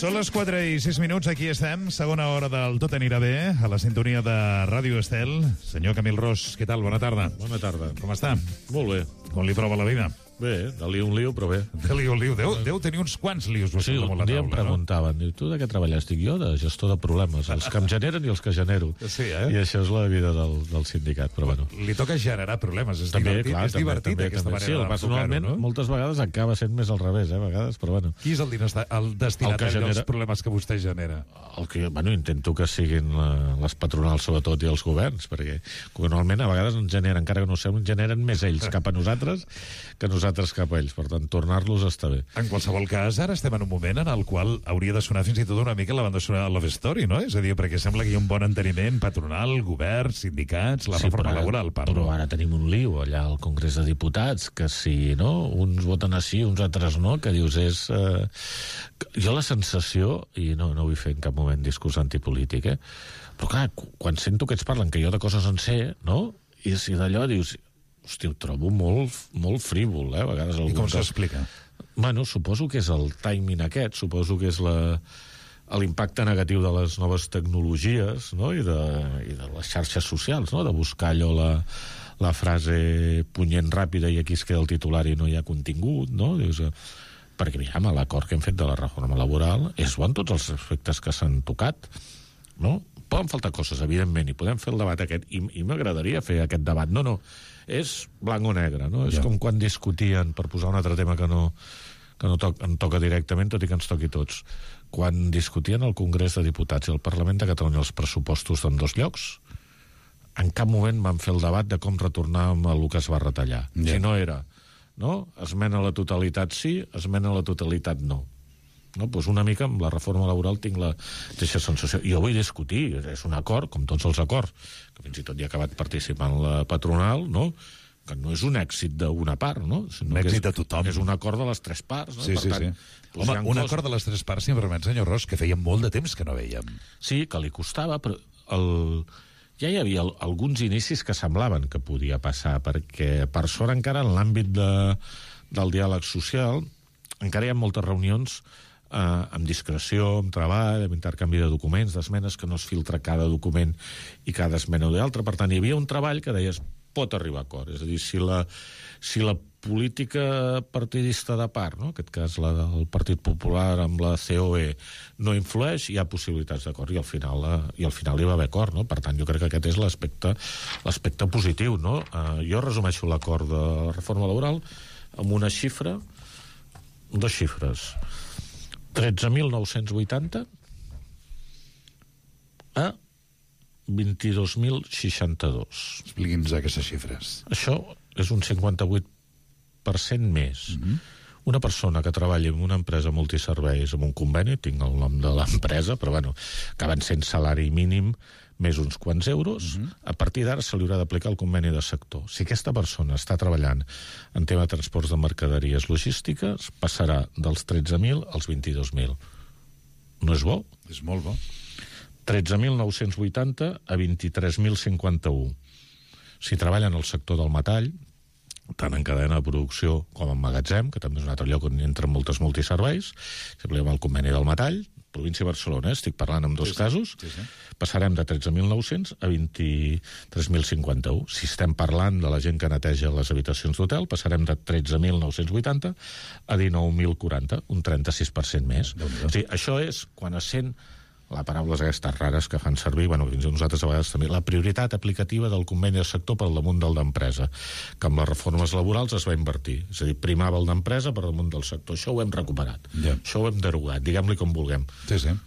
Són les 4:06, aquí estem, segona hora del Tot anirà bé, a la sintonia de Ràdio Estel. Senyor Camil Ros, què tal? Bona tarda. Bona tarda. Com està? Molt bé. Com li prova la vida? Bé, de lío un lío, però bé. De lío un lío. Deu tenir uns quants lios. Sí, un dia em preguntaven, diu, tu de què treballes? Dic, jo de gestor de problemes, els que em generen i els que genero. Sí, I això és la vida del sindicat, però bueno. Li toca generar problemes, és també, divertit, clar, és divertit també, aquesta manera sí, personalment, no? moltes vegades acaba sent més al revés, a vegades, però bueno. Qui és el destinatari dels problemes que vostè genera? El que, bueno, intento que siguin les patronals, sobretot, i els governs, perquè normalment a vegades ens generen, encara que no ho sé, ens generen més ells cap a nosaltres que nosaltres cap a ells. Per tant, tornar-los està bé. En qualsevol cas, ara estem en un moment en el qual hauria de sonar fins i tot una mica la banda sonora de Love Story, no? És a dir, perquè sembla que hi ha un bon enteniment patronal, govern, sindicats, la reforma laboral, però ara tenim un lío allà al Congrés de Diputats, que si, no?, uns voten així, uns altres no, que dius és... Jo la sensació, i no vull fer en cap moment discurs antipolític, però clar, quan sento que ells parlen que jo de coses en sé, no?, i si d'allò dius... Hosti, ho trobo molt frívol, a vegades. I com s'explica? Bueno, suposo que és el timing aquest, suposo que és l'impacte negatiu de les noves tecnologies, no?, i de les xarxes socials, no?, de buscar allò la frase punyent ràpida i aquí es queda el titular i no hi ha contingut, no? Dius, perquè, aviam, l'acord que hem fet de la reforma laboral és bo en tots els aspectes que s'han tocat, no? Poden faltar coses, evidentment, i podem fer el debat aquest, i m'agradaria fer aquest debat. No, és blanc o negre, no? És com quan discutien, per posar un altre tema que no em toca directament, tot i que ens toqui tots, quan discutien al Congrés de Diputats i al Parlament de Catalunya els pressupostos d'ambdós llocs, en cap moment van fer el debat de com retornar amb el que es va retallar. Si no era, no? Esmena a la totalitat sí, esmena a la totalitat no. No, doncs una mica amb la reforma laboral tinc la mateixa sensació. Jo vull discutir, és un acord, com tots els acords, que fins i tot hi ha acabat participant la patronal, no?, que no és un èxit d'una part, no? Un èxit de tothom. És un acord de les tres parts, no? Sí, per tant, sí. Home, un acord de les tres parts, si em permet, senyor Ros, que feia molt de temps que no veiem. Sí, que li costava, però ja hi havia alguns inicis que semblaven que podia passar, perquè per sort encara en l'àmbit del diàleg social encara hi ha moltes reunions amb discreció, amb treball, amb intercanvi de documents, d'esmenes, que no es filtra cada document i cada esmena o d'altra. Per tant, hi havia un treball que deies pot arribar a acord. És a dir, si la política partidista de part, no?, en aquest cas la del Partit Popular amb la COE, no influeix, hi ha possibilitats d'acord, i al final hi va haver acord, no? Per tant, jo crec que aquest és l'aspecte positiu, no? Jo resumeixo l'acord de reforma laboral amb una xifra, dues xifres: 13.980 a 22.062. Expliqui'ns aquestes xifres. Això és un 58% més. Una persona que treballa en una empresa multiserveis amb un conveni, tinc el nom de l'empresa, però bueno, acaben sent salari mínim més uns quants euros, a partir d'ara se li haurà d'aplicar el conveni de sector. Si aquesta persona està treballant en tema de transports de mercaderies logístiques, passarà dels 13.000 als 22.000. No és bo? És molt bo. 13.980 a 23.051. Si treballa en el sector del metall, tant en cadena de producció com en magatzem, que també és un altre lloc on entren moltes multiserveis, si apliquem el conveni del metall, província de Barcelona, estic parlant en dos casos, passarem de 13.900 a 23.051. Si estem parlant de la gent que neteja les habitacions d'hotel, passarem de 13.980 a 19.040, un 36% més. O sigui, això és quan es sent les paraules aquestes rares que fan servir, bueno, nosaltres a vegades també, la prioritat aplicativa del conveni de sector per damunt del d'empresa, que amb les reformes laborals es va invertir. És a dir, primava el d'empresa per damunt del sector. Això ho hem recuperat. Això ho hem derogat, diguem-li com vulguem. Sí.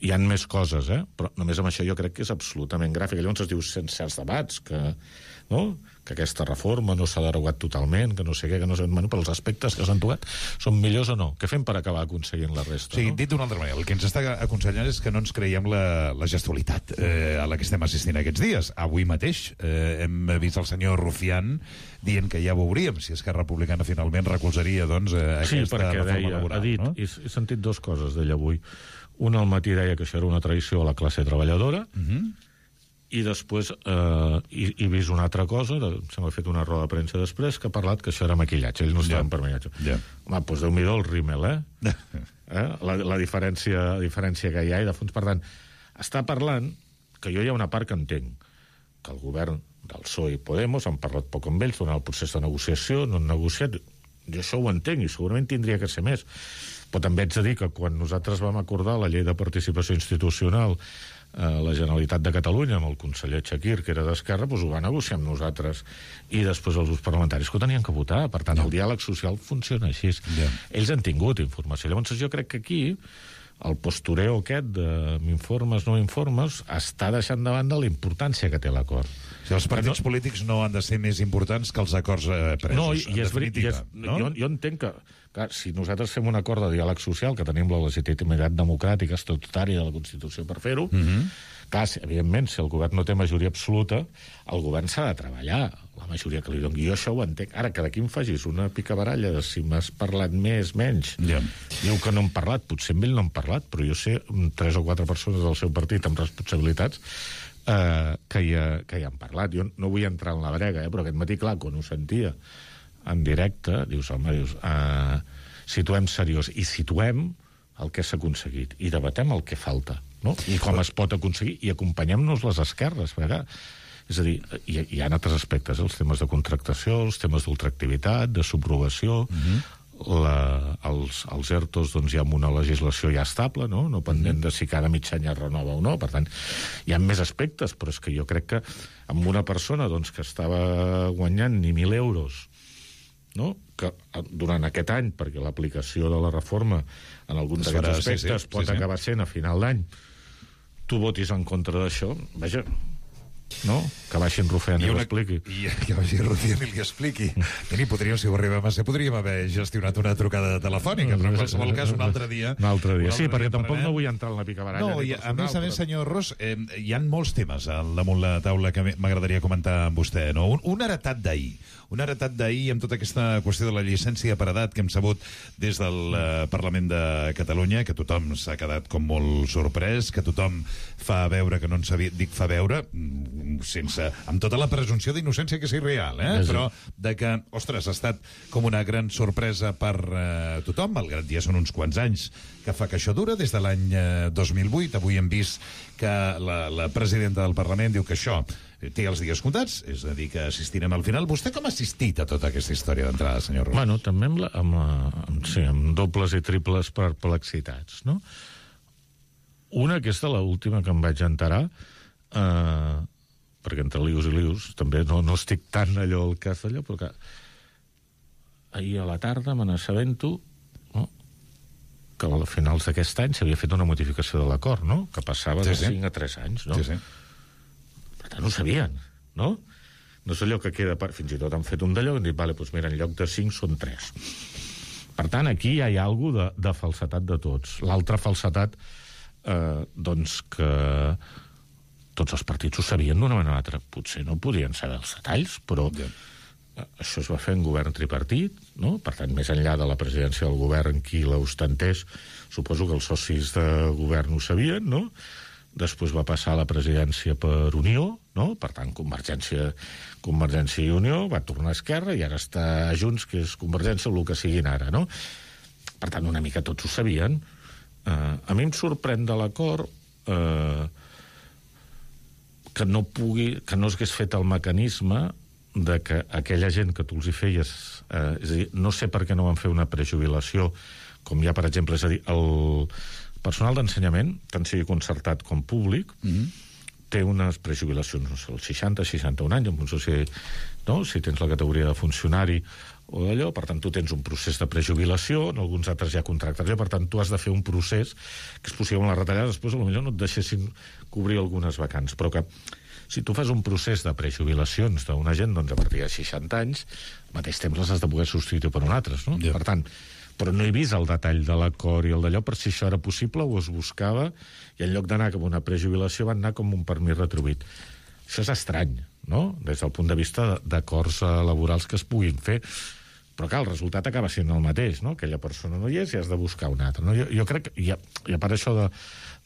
Hi han més coses, però només amb això jo crec que és absolutament gràfic. Llavors es diu sense certs debats, que aquesta reforma no s'ha derogat totalment, que no sé què, que no sé... Bueno, però els aspectes que s'han tocat són millors o no? Què fem per acabar aconseguint la resta? Sí, dit d'una altra manera, el que ens està aconsellant és que no ens creiem la gestualitat a la que estem assistint aquests dies. Avui mateix hem vist el senyor Rufián dient que ja veuríem si Esquerra Republicana finalment recolzaria aquesta reforma laboral. Ha dit, he sentit dues coses d'ell avui. Una al matí deia que això era una traïció a la classe treballadora, i després he vist una altra cosa, se m'ha fet una roda de premsa després, que ha parlat que això era maquillatge, ells no estaven per maquillatge. Home, doncs Déu-n'hi-do el rímel, la diferència que hi ha, i de fons, per tant, està parlant que jo hi ha una part que entenc, que el govern del PSOE i Podemos han parlat poc amb ells durant el procés de negociació, no han negociat, jo això ho entenc i segurament tindria que ser més, però també haig de dir que quan nosaltres vam acordar la llei de participació institucional la Generalitat de Catalunya amb el conseller Chakir, que era d'Esquerra, doncs ho va negociar amb nosaltres i després els grups parlamentaris que ho tenien que votar. Per tant, el diàleg social funciona així. Ells han tingut informació. Llavors jo crec que aquí el postureo aquest de m'informes, no informes, està deixant de banda la importància que té l'acord. Si els partits polítics no han de ser més importants que els acords presos, no, en definitiva. Jo entenc que, clar, si nosaltres fem un acord de diàleg social, que tenim la legitimitat democràtica estatutària de la Constitució per fer-ho, clar, evidentment, si el govern no té majoria absoluta, el govern s'ha de treballar, la majoria que li doni. Jo això ho entenc. Ara, que d'aquí em facis una picabaralla de si m'has parlat més, menys. Diu que no hem parlat, potser amb ell no hem parlat, però jo sé 3 o 4 persones del seu partit amb responsabilitats que hi han parlat. Jo no vull entrar en la brega, però aquest matí, clar, quan ho sentia en directe, dius, home, situem seriós, i situem el que s'ha aconseguit, i debatem el que falta, no? I com es pot aconseguir, i acompanyem-nos les esquerres, perquè, és a dir, hi ha altres aspectes, els temes de contractació, els temes d'ultraactivitat, de subrogació, els ERTOs, doncs hi ha una legislació ja estable, no pendent de si cada mig any es renova o no. Per tant, hi ha més aspectes, però és que jo crec que amb una persona doncs, que estava guanyant ni 1.000 euros, no? Que durant aquest any, perquè l'aplicació de la reforma en alguns d'aquests aspectes pot acabar sent a final d'any, tu votis en contra d'això, vaja, no? Que baixin Rufián i l'expliqui. Que baixi Rufián i li expliqui. I podríem, si ho arribem a ser, podríem haver gestionat una trucada telefònica, però en qualsevol cas un altre dia. Sí, perquè tampoc no vull entrar en la picabaralla. No, a més, senyor Ros, hi ha molts temes al damunt la taula que m'agradaria comentar amb vostè, no? Un heretat d'ahir amb tota aquesta qüestió de la llicència per edat que hem sabut des del Parlament de Catalunya, que tothom s'ha quedat com molt sorprès, que tothom fa veure que no en sabia, dic fa veure, amb tota la presumpció d'innocència que és irreal, però de que, ostres, ha estat com una gran sorpresa per tothom, malgrat ja són uns quants anys que fa que això dura, des de l'any 2008. Avui hem vist que la presidenta del Parlament diu que això té els dies comptats, és a dir, que assistirem al final. Vostè com ha assistit a tota aquesta història d'entrada, senyor Ros? Bueno, també amb dobles i triples perplexitats, no? Una, aquesta, l'última que em vaig enterar, perquè entre lius i lius també no estic tan allò al cas d'allò, però que ahir a la tarda me n'assabento, no? Que a finals d'aquest any s'havia fet una modificació de l'acord, no? Que passava de 5 a 3 anys, no? Per tant, ho sabien, no? No és allò que queda... Fins i tot han fet un d'allò i han dit, vale, doncs mira, en lloc de 5 són 3. Per tant, aquí ja hi ha alguna de falsetat de tots. L'altra falsetat, doncs que tots els partits ho sabien d'una manera o una altra. Potser no podien saber els detalls, però això es va fer en govern tripartit, no? Per tant, més enllà de la presidència del govern, qui l'ostentés, suposo que els socis de govern ho sabien, no? Després va passar a la presidència per Unió, no? Per tant, Convergència i Unió, va tornar a Esquerra i ara està a Junts, que és Convergència, el que siguin ara, no? Per tant, una mica tots ho sabien. A mi em sorprèn de l'acord que no s'hagués fet el mecanisme de que aquella gent que tu els hi feies... és a dir, no sé per què no van fer una prejubilació, com hi ha, per exemple, és a dir, el personal d'ensenyament, tant sigui concertat com públic, té unes prejubilacions, no sé, els 60, 61 anys, no sé si tens la categoria de funcionari o d'allò, per tant, tu tens un procés de prejubilació, en alguns altres hi ha contractació, per tant, tu has de fer un procés que és possible amb la retallada, després potser no et deixessin cobrir algunes vacants, però que si tu fas un procés de prejubilacions d'una gent, doncs a partir de 60 anys, al mateix temps les has de poder substituir per un altres, no? Per tant, però no he vist el detall de l'acord i el d'allò, per si això era possible o es buscava, i en lloc d'anar com una prejubilació van anar com un permís retribuït. Això és estrany, no? Des del punt de vista d'acords laborals que es puguin fer. Però, clar, el resultat acaba sent el mateix, no? Aquella persona no hi és i has de buscar una altra. No? Jo crec que, i a part això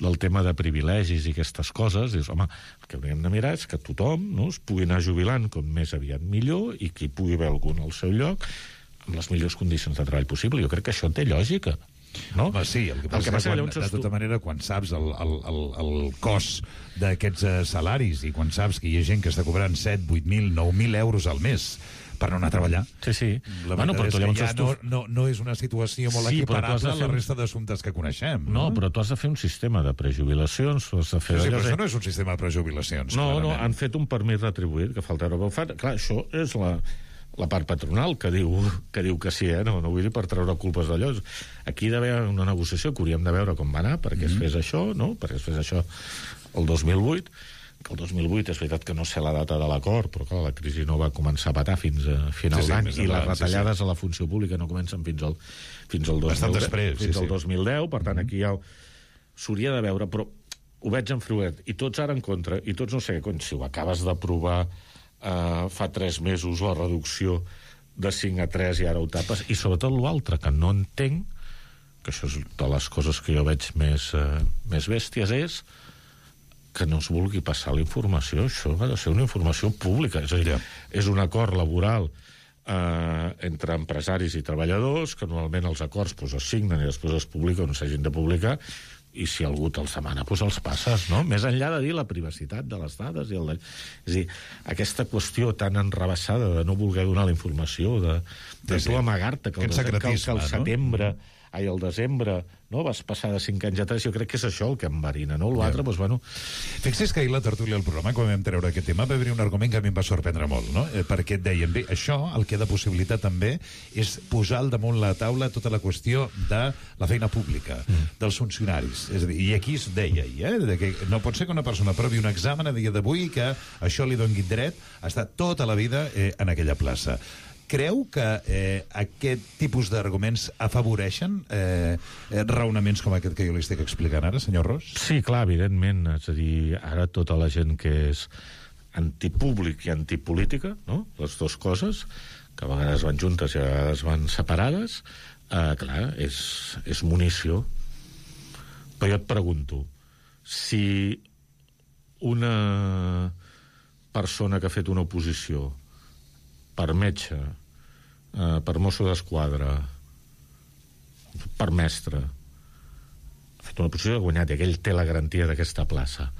del tema de privilegis i aquestes coses, dius, home, el que hauríem de mirar és que tothom, no, es pugui anar jubilant com més aviat millor i que hi pugui haver algun al seu lloc amb les millors condicions de treball possible. Jo crec que això té lògica. No? Home, sí, el que passa és que de tota manera, quan saps el cost d'aquests salaris i quan saps que hi ha gent que està cobrant 7, 8.000, 9.000 euros al mes per no anar a treballar. Sí. La veritat és que ja no és una situació molt equiparable a la resta d'assumptes que coneixem. No, però tu has de fer un sistema de prejubilacions. Has de fer però això no és un sistema de prejubilacions. No, han fet un permís retribuït que falta ara. Clar, això és la part patronal que diu que sí, no vull dir per treure culpes d'allò. Aquí hi ha d'haver una negociació que hauríem de veure com va anar perquè es fes això, no? Perquè es fes això el 2008, que el 2008 és veritat que no sé la data de l'acord, però clar, la crisi no va començar a patar fins a final d'any i les retallades a la funció pública no comencen fins al 2010, per tant aquí ja s'hauria de veure, però ho veig en fruet, i tots ara en contra, i tots no sé què, si ho acabes d'aprovar fa 3 mesos la reducció de 5 a 3 i ara ho tapes, i sobretot l'altre que no entenc, que això és de les coses que jo veig més bèsties, és que no es vulgui passar la informació. Això ha de ser una informació pública, és a dir, és un acord laboral entre empresaris i treballadors, que normalment els acords es signen i després es publiquen on s'hagin de publicar, i si algú te'ls demana, els passes, no? Més enllà de dir la privacitat de les dades és a dir, aquesta qüestió tan enrabassada de no voler donar la informació, de tu amagar-te que el setembre ai, el desembre, no? Vas passar de 5 anys a 3, jo crec que és això el que enverina, no? L'altre, doncs, bueno... Fixi's que ahir la tertúlia del programa, quan vam treure aquest tema, va haver un argument que a mi em va sorprendre molt, no? Perquè et deien, bé, això, el que ha de possibilitat també és posar al damunt la taula tota la qüestió de la feina pública, dels funcionaris. És a dir, i aquí es deia, de que no pot ser que una persona provi un examen a dia d'avui que això li doni dret a estar tota la vida en aquella plaça. Creu que aquest tipus d'arguments afavoreixen raonaments com aquest que jo li estic explicant ara, senyor Ros? Sí, clar, evidentment. És a dir, ara tota la gent que és antipúblic i antipolítica, no? Les dues coses, que a vegades van juntes i a vegades van separades, clar, és munició. Però jo et pregunto, si una persona que ha fet una oposició per metge, per mosso d'esquadra, per mestre, ha fet una oposició i ha guanyat, i aquell té la garantia d'aquesta plaça.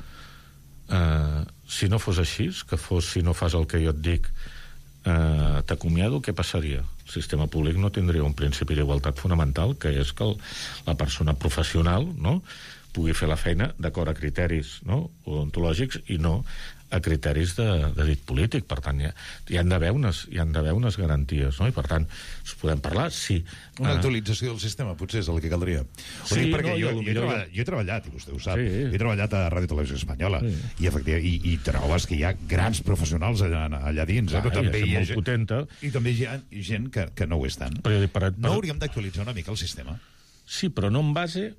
Si no fos així, si no fas el que jo et dic, t'acomiado, què passaria? El sistema públic no tindria un principi d'igualtat fonamental, que és que la persona professional, no, pugui fer la feina d'acord a criteris, no, odontològics i no a criteris de dit polític. Per tant, hi han d'haver unes garanties, no? I per tant, es podem parlar, sí. Una actualització del sistema, potser és el que caldria. Sí, perquè jo he treballat, i vostè ho sap, he treballat a Ràdio Televisió Espanyola, i efectivament, i trobes que hi ha grans professionals allà dins, però també hi ha gent que no ho és tant. No hauríem d'actualitzar una mica el sistema? Sí, però no en base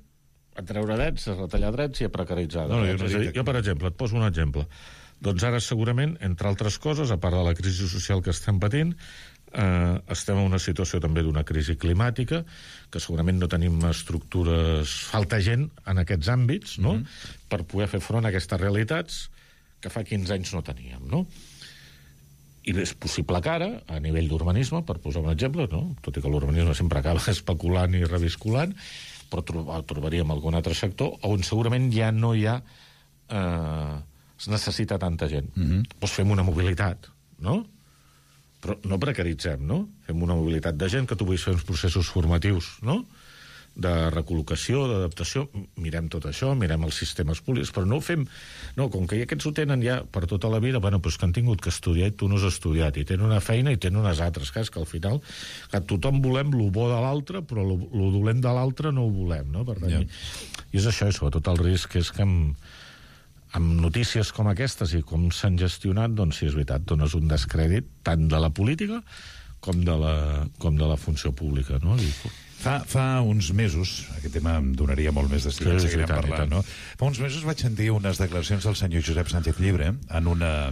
a treure drets, a retallar drets i a precaritzar drets. Jo, per exemple, et poso un exemple. Doncs ara, segurament, entre altres coses, a part de la crisi social que estem patint, estem en una situació també d'una crisi climàtica, que segurament no tenim estructures... Falta gent en aquests àmbits, no?, per poder fer front a aquestes realitats que fa 15 anys no teníem, no? I és possible que ara, a nivell d'urbanisme, per posar un exemple, no?, tot i que l'urbanisme sempre acaba especulant i revisculant, però trobaríem algun altre sector on segurament ja no hi ha... es necessita tanta gent. Doncs fem una mobilitat, no? Però no precaritzem, no? Fem una mobilitat de gent, que tu vull fer uns processos formatius, no?, de recol·locació, d'adaptació, mirem tot això, mirem els sistemes públics, però no ho fem... No, com que aquests ho tenen ja per tota la vida, bueno, doncs que han tingut que estudiar i tu no has estudiat, i tenen una feina i tenen unes altres, que és que al final que tothom volem lo bo de l'altre, però lo dolent de l'altre no ho volem, no? Per tant, i és això, i sobretot el risc és que amb notícies com aquestes i com s'han gestionat, doncs sí, és veritat, dones un descrèdit tant de la política com de la funció pública, no? Fa uns mesos, aquest tema em donaria molt més d'estil, en seguirem parlant, no? Fa uns mesos vaig sentir unes declaracions del senyor Josep Sánchez Llibre en una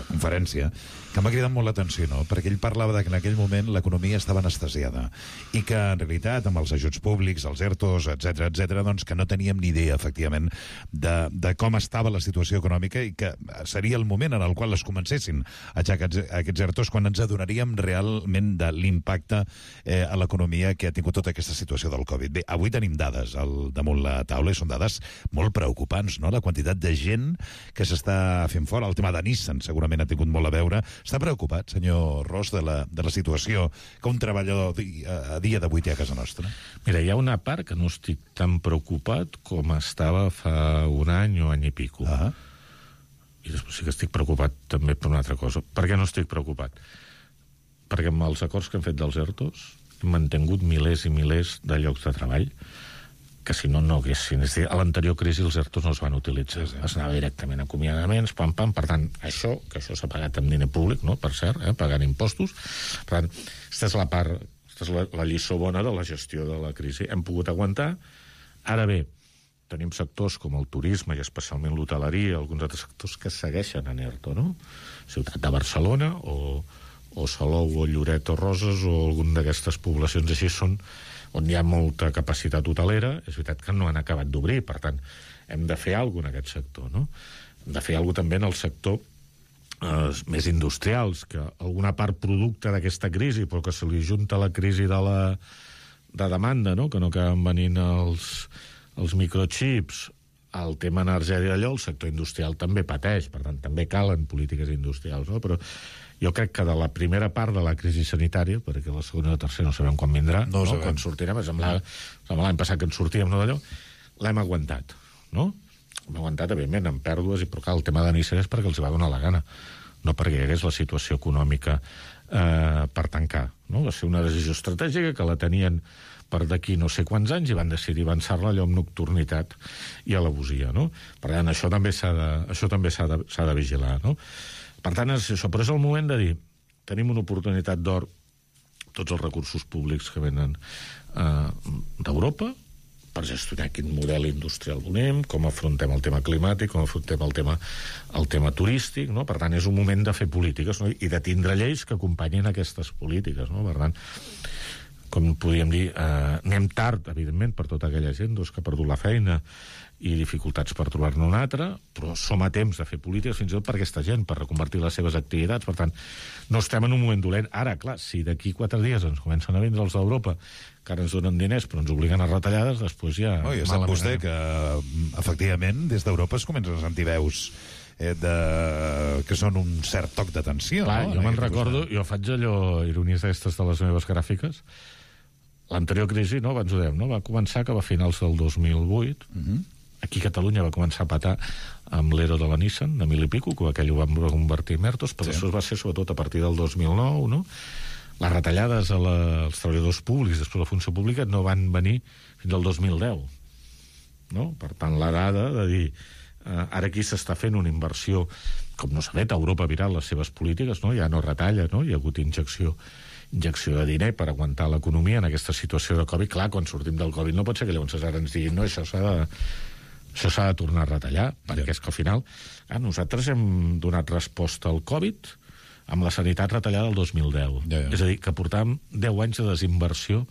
conferència que m'ha cridat molt l'atenció, no? Perquè ell parlava que en aquell moment l'economia estava anestesiada i que, en realitat, amb els ajuts públics, els ERTOs, etc, doncs que no teníem ni idea, efectivament, de com estava la situació econòmica i que seria el moment en el qual es comencessin a aixecar aquests ERTOs quan ens adonaríem realment de l'impacte a l'economia que ha tingut tota aquesta situació del Covid. Bé, avui tenim dades damunt la taula i són dades molt preocupants, no? La quantitat de gent que s'està fent fora. El tema de Nissan segurament ha tingut molt a veure. Està preocupat, senyor Ros, de la situació que un treballador a dia d'avui té a casa nostra? Mira, hi ha una part que no estic tan preocupat com estava fa un any o any i pico. I després sí que estic preocupat també per una altra cosa. Per què no estic preocupat? Perquè amb els acords que hem fet dels ERTOs hem mantingut milers i milers de llocs de treball que si no, no haguessin. És a dir, a l'anterior crisi els ERTOs no es van utilitzar. Es anava directament a acomiadaments, pam. Per tant, això s'ha pagat amb diner públic, no? Per cert, pagant impostos. Per tant, aquesta és la part, aquesta és la lliçó bona de la gestió de la crisi. Hem pogut aguantar. Ara bé, tenim sectors com el turisme i especialment l'hoteleria, alguns altres sectors que segueixen en ERTO, no? Ciutat de Barcelona o Salou o Lloret o Roses o alguna d'aquestes poblacions així són on hi ha molta capacitat hotelera. És veritat que no han acabat d'obrir, per tant, hem de fer alguna cosa en aquest sector, no? Hem de fer alguna cosa també en el sector més industrials, que alguna part producte d'aquesta crisi, però que se li junta la crisi de demanda, no? Que no acaben venint els microchips, el tema energètic d'allò, el sector industrial també pateix, per tant, també calen polítiques industrials, no? Però jo crec que de la primera part de la crisi sanitària, perquè la segona i la tercera no sabem quan vindrà, no? Quan sortirem, semblava l'any passat que en sortíem, no, d'allò, l'hem aguantat, no? Hem aguantat, evidentment, amb pèrdues, i però clar, el tema de Nissan és perquè els va donar la gana, no perquè hi hagués la situació econòmica per tancar, no? Va ser una decisió estratègica que la tenien per d'aquí no sé quants anys i van decidir avançar-la allò amb nocturnitat i alevosia, no? Per tant, això també s'ha de vigilar, no? Per tant, és això, però és el moment de dir tenim una oportunitat d'or, tots els recursos públics que venen d'Europa per gestionar quin model industrial volem, com afrontem el tema climàtic, com afrontem el tema turístic, no? Per tant, és un moment de fer polítiques, no? I de tindre lleis que acompanyin aquestes polítiques, no? Per tant, com podríem dir, anem tard, evidentment, per tota aquella gent que ha perdut la feina i dificultats per trobar-ne una altra, però som a temps de fer polítiques fins i tot per aquesta gent, per reconvertir les seves activitats. Per tant, no estem en un moment dolent. Ara, clar, si d'aquí 4 dies ens comencen a vindre els d'Europa, que ara ens donen diners però ens obliguen a retallades, després ja... Ja sap vostè que, efectivament, des d'Europa es comencen a sentir veus que són un cert toc d'atenció. Clar, jo me'n recordo, jo faig allò, ironies d'aquestes de les meves gràfiques. L'anterior crisi, no, abans ho dèiem, no? Va començar que va a finals del 2008, aquí a Catalunya va començar a patar amb l'ero de la Nissan, de 1.000 i pico, que aquell ho van convertir en ERTOs, però això va ser sobretot a partir del 2009, no? Les retallades als treballadors públics, després la funció pública, no van venir fins al 2010, no? Per tant, la dada de dir ara aquí s'està fent una inversió, com no s'ha fet, Europa ha virat les seves polítiques, no? Ja no retalla, no? Hi ha hagut injecció de diner per aguantar l'economia en aquesta situació de Covid. Clar, quan sortim del Covid no pot ser que llavors ara ens diguin no, això s'ha de tornar a retallar, perquè és que al final nosaltres hem donat resposta al Covid amb la sanitat retallada el 2010. És a dir, que portàvem 10 anys de desinversió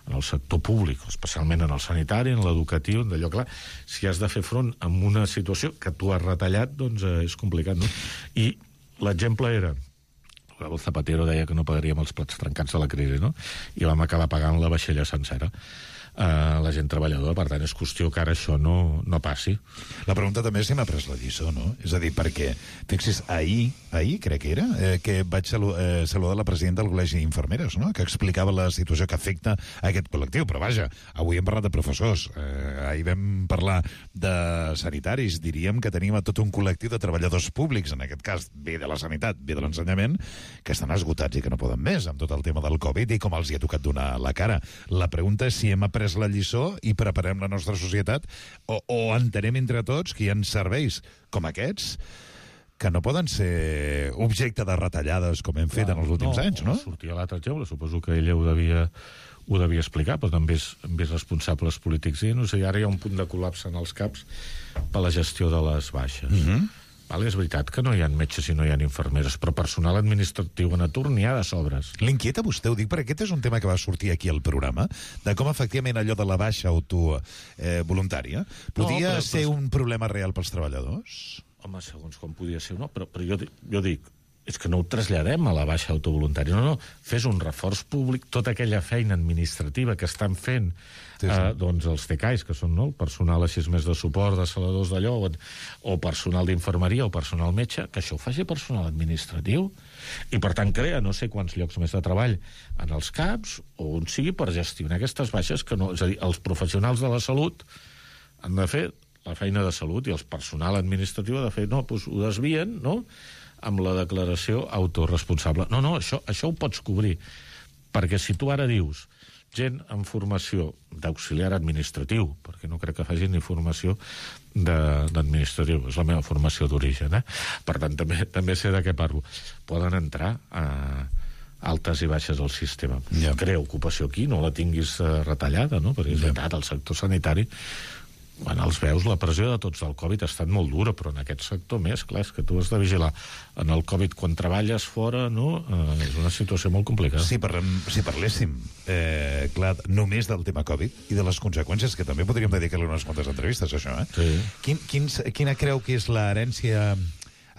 en el sector públic, especialment en el sanitari, en l'educatiu, en d'allò, clar, si has de fer front a una situació que tu has retallat, doncs és complicat, no? I l'exemple era el Zapatero deia que no pagaríem els plats trencats de la crisi, no? I vam acabar pagant la vaixella sencera. La gent treballadora, per tant, és qüestió que ara això no passi. La pregunta també és si m'ha pres la lliçó, no? És a dir, perquè, fixis, ahir crec que era, que vaig saludar la presidenta del Col·legi d'Infermeres, no? Que explicava la situació que afecta a aquest col·lectiu, però vaja, avui hem parlat de professors, ahir vam parlar de sanitaris, diríem que tenim a tot un col·lectiu de treballadors públics, en aquest cas, bé de la sanitat, bé de l'ensenyament, que estan esgotats i que no poden més amb tot el tema del Covid i com els hi ha tocat donar la cara. La pregunta és si hem après la lliçó i preparem la nostra societat o entenem entre tots que hi ha serveis com aquests que no poden ser objecte de retallades com hem fet en els últims anys, no? Sortia l'altre exemple, suposo que ella ho devia explicar, però també és responsables polítics. I no sé, ara hi ha un punt de col·lapse en els CAPs per la gestió de les baixes. Vale, és veritat que no hi ha metges i no hi ha infermeres, però personal administratiu en atur n'hi ha de sobres. L'inquieta vostè, ho dic, perquè aquest és un tema que va sortir aquí al programa, de com efectivament allò de la baixa voluntària podia ser un problema real pels treballadors? Home, segons com podia ser, no? Però jo dic, és que no ho traslladem a la baixa autovoluntària. No, fes un reforç públic, tota aquella feina administrativa que estan fent doncs els TCAIs, que són el personal així més de suport, de saladors d'allò, o personal d'infermeria o personal metge, que això ho faci personal administratiu. I, per tant, crea no sé quants llocs més de treball en els CAPs, o on sigui per gestionar aquestes baixes que no... És a dir, els professionals de la salut han de fer la feina de salut i el personal administratiu ha de fer... No, doncs ho desvien, no?, amb la declaració autoresponsable. No, això ho pots cobrir. Perquè si tu ara dius gent amb formació d'auxiliar administratiu, perquè no crec que facin ni formació d'administratiu, és la meva formació d'origen, per tant, també sé de què parlo. Poden entrar a altes i baixes al sistema. Crea ocupació aquí, no la tinguis retallada, no? Perquè és veritat, el sector sanitari, quan els veus, la pressió de tots del Covid ha estat molt dura, però en aquest sector més, clar, és que tu has de vigilar. En el Covid, quan treballes fora, no? És una situació molt complicada. Si parléssim, clar, només del tema Covid i de les conseqüències, que també podríem dedicar-li unes quantes entrevistes, això, Sí. Quina creu que és l'herència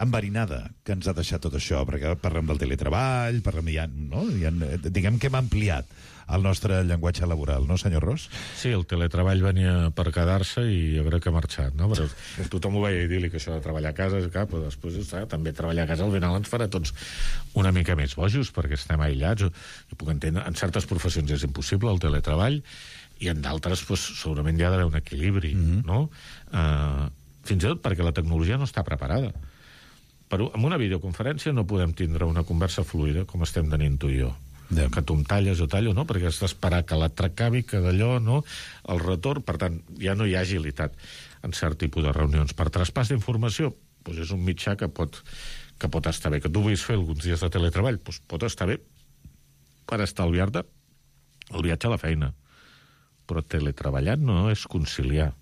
enverinada que ens ha deixat tot això? Perquè parlem del teletreball, diguem que hem ampliat el nostre llenguatge laboral, no, senyor Ros? Sí, el teletreball venia per quedar-se i jo crec que ha marxat, no? Però tothom ho veia idíl·lic, això de treballar a casa, però després també treballar a casa al final ens farà tots una mica més bojos, perquè estem aïllats. Jo puc entendre, en certes professions és impossible el teletreball, i en d'altres segurament hi ha d'haver un equilibri, no? Fins i tot perquè la tecnologia no està preparada. Però amb una videoconferència no podem tindre una conversa fluida com estem tenint tu i jo. Que tu em talles o tallo, no? Perquè has d'esperar que l'altre acabi, que d'allò, no? El retorn, per tant, ja no hi ha agilitat en cert tipus de reunions. Per traspàs d'informació, doncs és un mitjà que pot estar bé. Que tu vulguis fer alguns dies de teletreball, doncs pot estar bé per estalviar-te el viatge a la feina. Però teletreballant no és conciliar.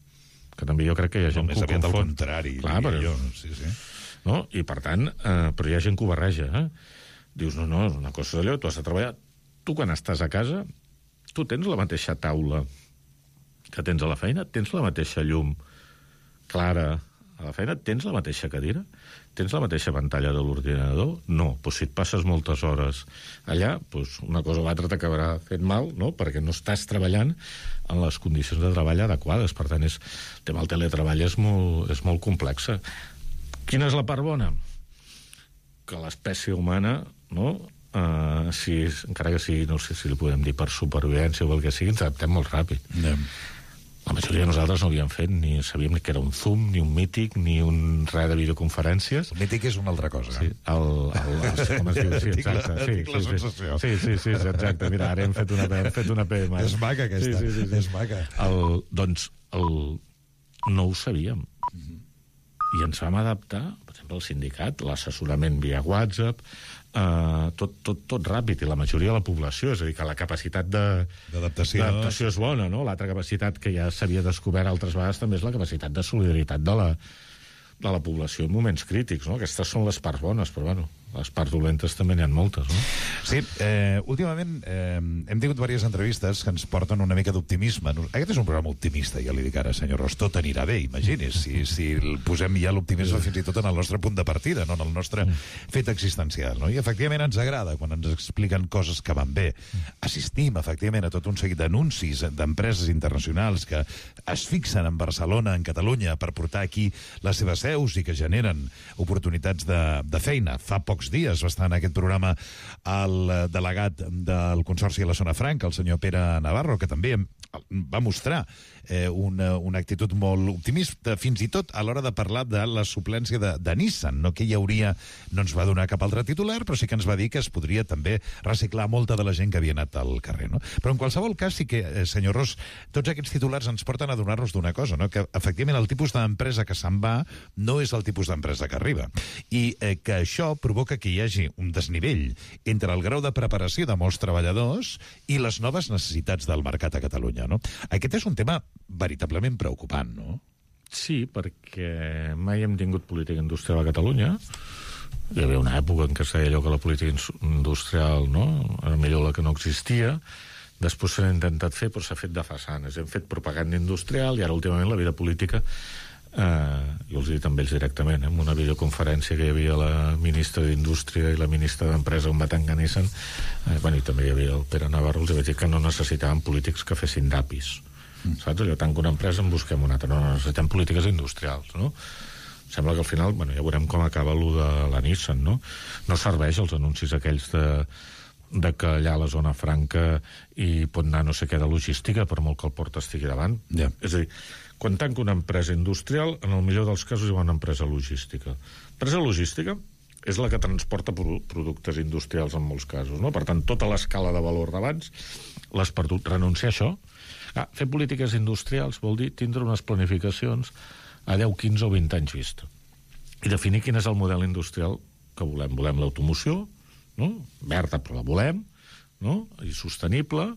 Que també jo crec que hi ha gent que ho confon. Més aviat al contrari. Clar, però... Sí. No? I, per tant, però hi ha gent que ho barreja, Dius, no, una cosa és allò, tu has de treballar. Tu, quan estàs a casa, tu tens la mateixa taula que tens a la feina, tens la mateixa llum clara a la feina, tens la mateixa cadira, tens la mateixa pantalla de l'ordinador? No, doncs si et passes moltes hores allà, doncs una cosa o l'altra t'acabarà fent mal, no?, perquè no estàs treballant en les condicions de treball adequades. Per tant, el tema del teletreball és molt complex. Quina és la part bona? Que l'espècie humana, no?, encara que sigui, no sé si li podem dir per supervivència o el que sigui, ens adaptem molt ràpid. La majoria de nosaltres no havíem fet, ni sabíem ni que era un Zoom, ni un Mític, ni un res de videoconferències. El Mític és una altra cosa. Sí, com es diu? Sí, exacte. Tinc la sensació. Sí, exacte. Mira, ara hem fet una PM. És maca, aquesta. Sí. És maca. Doncs no ho sabíem. I ens vam adaptar, per exemple, al sindicat, l'assessorament via WhatsApp, tot ràpid, i la majoria de la població, és a dir, que la capacitat d'adaptació és bona, no? L'altra capacitat que ja s'havia descobert altres vegades també és la capacitat de solidaritat de la població en moments crítics, no? Aquestes són les parts bones, però bueno, les parts dolentes també n'hi ha moltes, no? Sí, últimament hem tingut diverses entrevistes que ens porten una mica d'optimisme. Aquest és un programa optimista, ja li dic ara, senyor Ros, tot anirà bé, imagini's, si posem ja l'optimisme fins i tot en el nostre punt de partida, no en el nostre fet existencial, no? I efectivament ens agrada quan ens expliquen coses que van bé. Assistim, efectivament, a tot un seguit d'anuncis d'empreses internacionals que es fixen en Barcelona, en Catalunya, per portar aquí les seves seus i que generen oportunitats de feina. Fa pocs dies va estar en aquest programa el delegat del Consorci de la Zona Franca, el senyor Pere Navarro, que també va mostrar una actitud molt optimista, fins i tot a l'hora de parlar de la suplència de Nissan, no que hi hauria, no ens va donar cap altre titular, però sí que ens va dir que es podria també reciclar molta de la gent que havia anat al carrer, no? Però en qualsevol cas sí que, senyor Ros, tots aquests titulars ens porten a donar-nos d'una cosa, no? Que efectivament el tipus d'empresa que se'n va no és el tipus d'empresa que arriba, i que això provoca que hi hagi un desnivell entre el grau de preparació de molts treballadors i les noves necessitats del mercat a Catalunya, no? Aquest és un tema veritablement preocupant, no? Sí, perquè mai hem tingut política industrial a Catalunya. Hi havia una època en què es deia allò que la política industrial, no?, era millor la que no existia. Després s'ha intentat fer, però s'ha fet de façanes. Hem fet propaganda industrial i ara últimament la vida política, jo els he dit amb ells directament, en una videoconferència que hi havia la ministra d'Indústria i la ministra d'Empresa on va tancar Nissan, i també hi havia el Pere Navarro, els vaig dir que no necessitaven polítics que fessin d'apis. Saps? Allò, tanco una empresa, en busquem una altra. No necessitem polítiques industrials, no? Sembla que al final, ja veurem com acaba allò de la Nissan, no? No serveix els anuncis aquells de que allà a la zona franca hi pot anar no sé què de logística, per molt que el port estigui davant. Yeah. És a dir, quan tanca una empresa industrial, en el millor dels casos hi va una empresa logística. Empresa logística és la que transporta productes industrials en molts casos, no? Per tant, tota l'escala de valor d'abans l'has perdut. Renunciar a això, fer polítiques industrials vol dir tindre unes planificacions a 10, 15 o 20 anys vista. I definir quin és el model industrial que volem. Volem l'automoció, no? Verda, però la volem, no? I sostenible.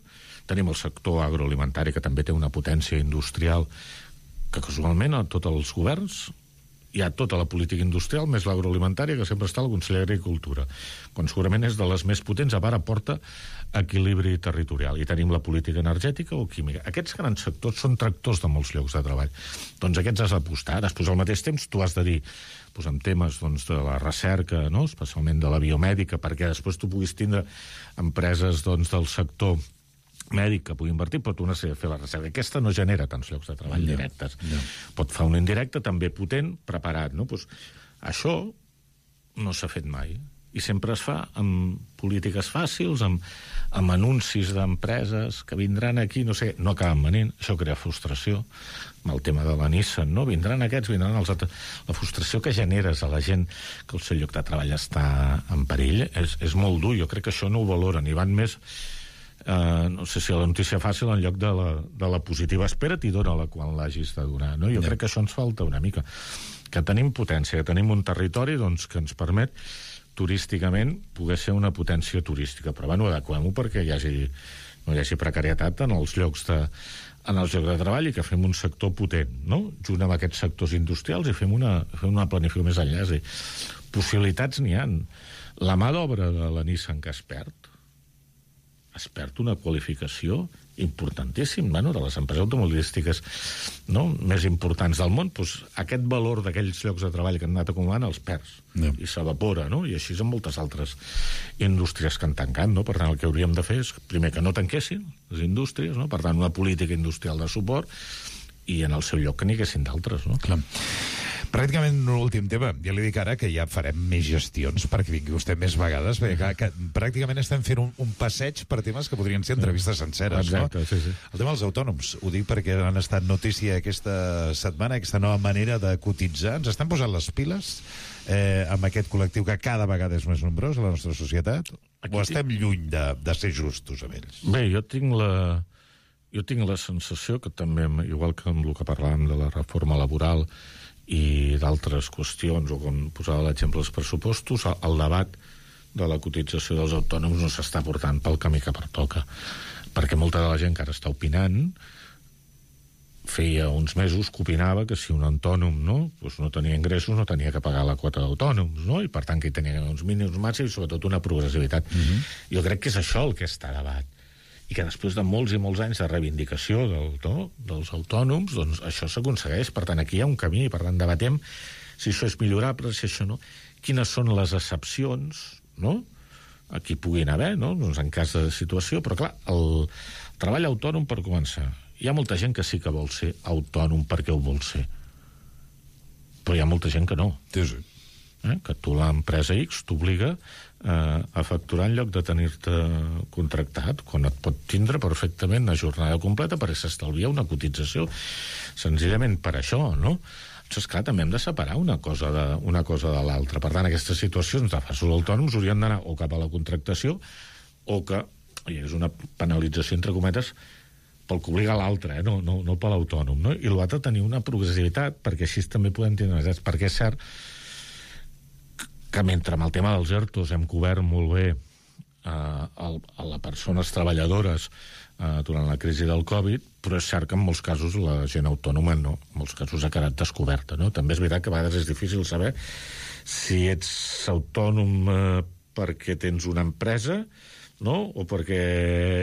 Tenim el sector agroalimentari, que també té una potència industrial que casualment a tots els governs hi ha tota la política industrial més l'agroalimentària, que sempre està al Consell d'Agricultura, quan segurament és de les més potents, a part aporta equilibri territorial. I tenim la política energètica o química. Aquests grans sectors són tractors de molts llocs de treball. Doncs aquests has d'apostar. Després, al mateix temps, tu has de dir, en temes de la recerca, no?, especialment de la biomèdica, perquè després tu puguis tindre empreses del sector mèdic que pugui invertir, però tu necessites fer la recerca. Aquesta no genera tants llocs de treball directes. Pot fer un indirecte també potent, preparat, no? Això no s'ha fet mai. I sempre es fa amb polítiques fàcils, amb anuncis d'empreses que vindran aquí, no sé, no acaben venint. Això crea frustració. Amb el tema de la Nissan, no? Vindran aquests, vindran els altres. La frustració que generes a la gent que el seu lloc de treball està en perill és molt dur. Jo crec que això no ho valoren. I van més... no sé si la notícia fàcil en lloc de la positiva. Espera't i dona-la quan l'hagis de donar, no? Jo crec que això ens falta una mica, que tenim potència, que tenim un territori que ens permet turísticament poder ser una potència turística, però adequem-ho perquè no hi hagi precarietat en els llocs de treball i que fem un sector potent, no? Junt amb aquests sectors industrials i fem una planificació més enllà. És a dir, possibilitats n'hi ha. La mà d'obra de la Nissan que es perd una qualificació importantíssim, de les empreses automobilístiques, no?, més importants del món. Aquest valor d'aquells llocs de treball que han anat acumulant els perds i s'evapora, no? I així amb moltes altres indústries que han tancat, no? Per tant, el que hauríem de fer és, primer, que no tanquessin les indústries, no? Per tant, una política industrial de suport, i en el seu lloc que n'hi haguessin d'altres, no? Clar. Pràcticament un últim tema. Ja li dic ara que ja farem més gestions perquè vingui vostè més vegades, perquè que pràcticament estem fent un passeig per temes que podrien ser entrevistes senceres. Exacte, no? sí. El tema dels autònoms, ho dic perquè han estat notícia aquesta setmana, aquesta nova manera de cotitzar. Ens estan posant les piles amb aquest col·lectiu que cada vegada és més nombrós a la nostra societat? O estem lluny de ser justos amb ells? Bé, jo tinc la sensació que també, igual que amb el que parlàvem de la reforma laboral i d'altres qüestions, o com posava l'exemple dels pressupostos, el debat de la cotització dels autònoms no s'està portant pel camí que pertoca, perquè molta de la gent que ara està opinant feia uns mesos que opinava que si un autònom no tenia ingressos no tenia que pagar la quota d'autònoms, no? I per tant que hi tenia uns mínims màxims i sobretot una progressivitat. Jo crec que és això el que està a debat, i que després de molts i molts anys de reivindicació dels autònoms, doncs això s'aconsegueix. Per tant, aquí hi ha un camí, per tant, debatem si això és millorable, si això no... Quines són les excepcions, no?, aquí puguin haver, no?, doncs en cas de situació, però clar, el treball autònom, per començar, hi ha molta gent que sí que vol ser autònom perquè ho vol ser, però hi ha molta gent que no. Sí. que tu l'empresa X t'obliga a facturar en lloc de tenir-te contractat, quan et pot tindre perfectament a jornada completa perquè s'estalvia una cotització senzillament per això, no? Doncs, clar, també hem de separar una cosa de l'altra. Per tant, aquestes situacions de falsos autònoms haurien d'anar o cap a la contractació o que hi hagués una penalització, entre cometes, pel que obliga l'altre, no per l'autònom, no? I l'altre tenir una progressivitat, perquè així també podem tenir perquè és cert que mentre amb el tema dels ERTOs hem cobert molt bé a les persones treballadores durant la crisi del Covid, però és cert que en molts casos la gent autònoma no, en molts casos ha quedat descoberta, no? També és veritat que a vegades és difícil saber si ets autònom perquè tens una empresa, no? O perquè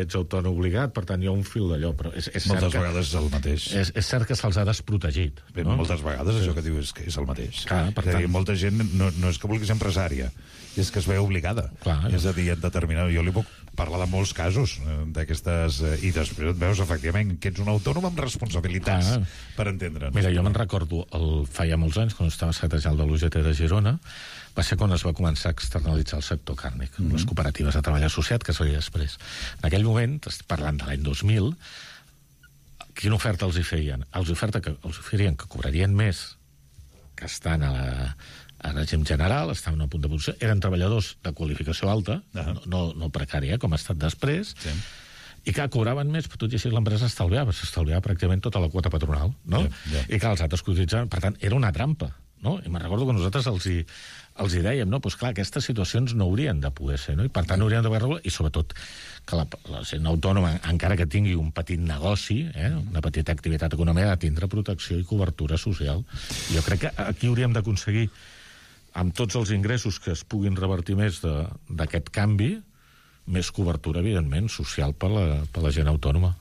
ets autònom obligat, per tant hi ha un fil d'allò, però és moltes vegades és el mateix. És cert que se'ls ha desprotegit. Bé, no? Moltes vegades això que diu és que és el mateix. Clar, per tant... molta gent no és que vulgui ser empresària, és que es veu obligada. Clar, és a dir, en determinat... Jo li puc parlar de molts casos d'aquestes... I després et veus, efectivament, que ets un autònom amb responsabilitats, per entendre'ns. Mira, jo me'n recordo, feia molts anys, quan estava secretari de l'UGT de Girona, va ser quan es va començar a externalitzar el sector càrnic, les cooperatives de treball associat, que seria després. En aquell moment, parlant de l'any 2000, quina oferta els hi feien? Els oferien que cobrarien més, que estan a règim general, estaven a punt de producció, eren treballadors de qualificació alta, no precària, com ha estat després, i que cobraven més, però tot i així l'empresa s'estalviava pràcticament tota la quota patronal, no? I que els altres cotitzaven, per tant, era una trampa, no? I me'n recordo que nosaltres els hi dèiem, no? Pues clar, aquestes situacions no haurien de poder ser, no? I per tant haurien d'haver regulat, i sobretot que la gent autònoma, encara que tingui un petit negoci, una petita activitat econòmica, ha de tindre protecció i cobertura social. Jo crec que aquí hauríem d'aconseguir, amb tots els ingressos que es puguin revertir més d'aquest canvi, més cobertura, evidentment, social per la gent autònoma.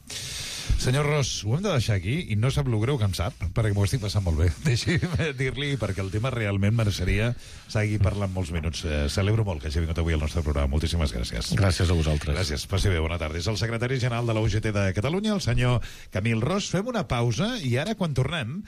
Senyor Ros, ho hem de deixar aquí i no sap lo greu que em sap, perquè m'ho estic passant molt bé. Deixi'm dir-li, perquè el tema realment mereixeria seguir parlant molts minuts. Celebro molt que hagi vingut avui al nostre programa. Moltíssimes gràcies. Gràcies a vosaltres. Gràcies. Passi bé, bona tarda. És el secretari general de la UGT de Catalunya, el senyor Camil Ros. Fem una pausa i ara, quan tornem,